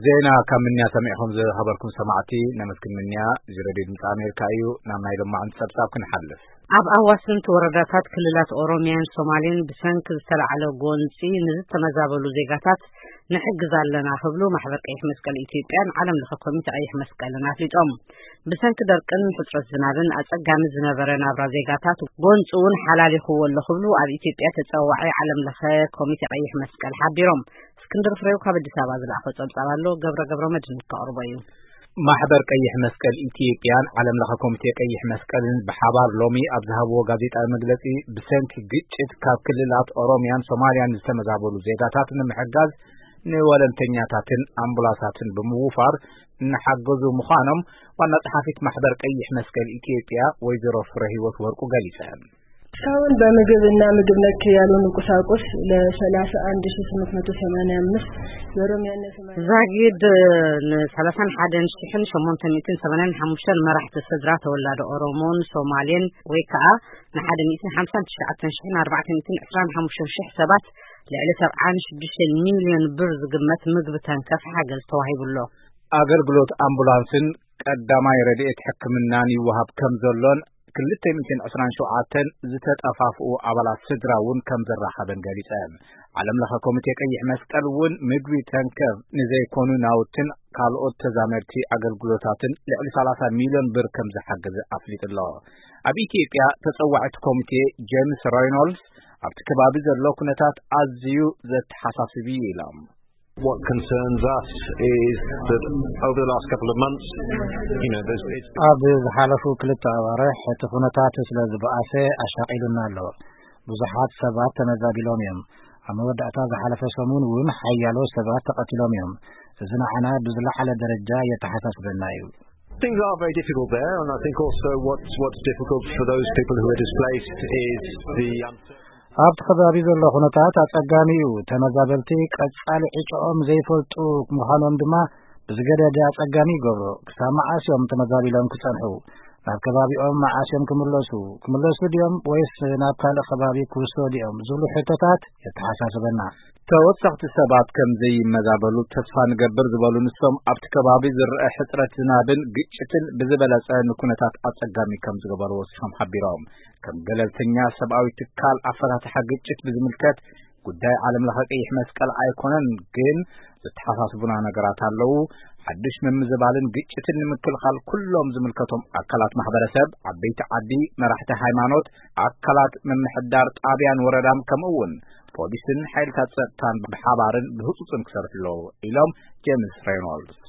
ዜና ካብ ምንያ ሰሚዕኹም ዝኸበርኩም ሰማዕቲ ነመስግን። ምንያ እዚ ሬድዮ ድምፂ ኣሜሪካ እዩ። ናብ ናይ ሎማዕንቲ ጸብጻብ ክንሓልፍ። ኣብ ኣዋስንቲ ወረዳታት ክልላት ኦሮሚያን ሶማሌን ብሰንኪ ዝተላዕለ ጎንፂ ንዝተመዛበሉ ዜጋታት ንሕግዝ ኣለና ክብሉ ማሕበር ቀይሕ መስቀል ኢትዮጵያን ዓለም ለኸ ኮሚቴ ቀይሕ መስቀልን ኣፍሊጦም። ብሰንኪ ደርቅን ሕፅረት ዝናብን ኣፀጋሚ ዝነበረ ናብራ ዜጋታት ጎንፂ እውን ሓላሊኽዎ ኣሎ ክብሉ ኣብ ኢትዮጵያ ተፀዋዒ ዓለም ለኸ ኮሚቴ ቀይሕ መስቀል ሓቢሮም። እስክንድር ፍሬው ካብ ኣዲስ ኣበባ ዝለኣኾ ጸብጻብ ኣሎ፣ ገብረ ገብረ መድህን ከቕርቦ እዩ። ማሕበር ቀይሕ መስቀል ኢትዮጵያን ዓለም ለኸ ኮሚቴ ቀይሕ መስቀልን ብሓባር ሎሚ ኣብ ዝሃብዎ ጋዜጣዊ መግለጺ፣ ብሰንኪ ግጭት ካብ ክልላት ኦሮሚያን ሶማሊያን ዝተመዛበሉ ዜጋታት ንምሕጋዝ ንወለንተኛታትን ኣምቡላሳትን ብምውፋር እናሓገዙ ምዃኖም ዋና ጸሓፊት ማሕበር ቀይሕ መስቀል ኢትዮጵያ ወይዘሮ ፍረ ህይወት ወርቁ ገሊጸን። እስካሁን በምግብ እና ምግብ ነክ ያልሆኑ ቁሳቁስ ለ ሠላሳ አንድ ሺህ ስምንት መቶ ሰማንያ አምስት በኦሮሚያና ሶማሊያ ዛጊድ ን ሰላሳን ሓደን ሽሕን ሸሞንተ ሚእትን ሰማንያን ሓሙሽተን መራሕቲ ስድራ ተወላዶ ኦሮሞን ሶማሌን ወይ ከዓ ን ሓደ ሚእትን ሓምሳን ትሽዓተን ሽሕን ኣርባዕተ ሚእትን ዕስራን ሓሙሽተን ሽሕ ሰባት ልዕሊ ሰብዓን ሽዱሽተን ሚልዮን ብር ዝግመት ምግቢ ተንከፍ ሓገዝ ተዋሂቡ ኣሎ። ኣገልግሎት ኣምቡላንስን ቀዳማይ ረድኤት ሕክምናን ይወሃብ ከም ዘሎን ክልተ ሚእትን ዕስራን ሸውዓተን ዝተጠፋፍኡ ኣባላት ስድራ እውን ከም ዘራኸበን ገሊጸን። ዓለም ለኸ ኮሚቴ ቀይሕ መስቀል እውን ምግቢ ተንከፍ ንዘይኮኑ ናውትን ካልኦት ተዛመድቲ ኣገልግሎታትን ልዕሊ ሰላሳ ሚልዮን ብር ከም ዝሓገዘ ኣፍሊጡ ኣሎ። ኣብ ኢትዮጵያ ተጸዋዒት ኮሚቴ ጄምስ ሬይኖልድስ ኣብቲ ከባቢ ዘሎ ኩነታት ኣዝዩ ዘተሓሳስብ እዩ ኢሎም። What concerns us is that over the last couple of months, you know, there's, it's ኣብ ዝሓለፉ ክልተ ኣዋርሕ እቲ ኩነታት ስለ ዝበኣሰ ኣሻቒሉና ኣሎ። ብዙሓት ሰባት ተመዛቢሎም እዮም። ኣብ መወዳእታ ዝሓለፈ ሰሙን እውን ሓያሎ ሰባት ተቐቲሎም እዮም። እዚ ንዓና ብዝለዓለ ደረጃ የተሓሳስበና እዩ። Things are very difficult there, and I think also what's, what's difficult for those people who are displaced is the uncertainty. ኣብቲ ከባቢ ዘሎ ኩነታት ኣጸጋሚ እዩ። ተመዛበልቲ ቀጻሊ ዕጫኦም ዘይፈልጡ ምዃኖም ድማ ብዝገደደ ኣጸጋሚ ይገብሮ። ክሳብ መዓስ እዮም ተመዛቢሎም ክጸንሑ? ናብ ከባቢኦም መዓስ እዮም ክምለሱ? ክምለሱ ድዮም ወይስ ናብ ካልእ ከባቢ ክውሰዱ እዮም ዝብሉ ሕቶታት የተሓሳስበና። ተወሰኽቲ ሰባት ከም ዘይመዛበሉ ተስፋ ንገብር ዝበሉ ንሶም፣ ኣብቲ ከባቢ ዝረአ ሕጽረት ዝናብን ግጭትን ብዝበለጸ ንኩነታት ኣጸጋሚ ከም ዝገበሩ ወሲኾም ሓቢሮም። ከም ገለልተኛ ሰብኣዊ ትካል ኣፈታትሓ ግጭት ብዝምልከት ጉዳይ ዓለም ለኸ ቀይሕ መስቀል ኣይኮነን፣ ግን ዝተሓሳስቡና ነገራት ኣለዉ። ሓድሽ ምምዝባልን ግጭትን ንምክልኻል ኩሎም ዝምልከቶም ኣካላት ማሕበረሰብ፣ ዓበይቲ ዓዲ፣ መራሕቲ ሃይማኖት፣ ኣካላት ምምሕዳር ጣብያን ወረዳን ከምኡ እውን ፖሊስን ሓይልታት ጸጥታን ብሓባርን ብህጹጽን ክሰርሑ ኣለዉ ኢሎም ጄምስ ሬኖልድስ።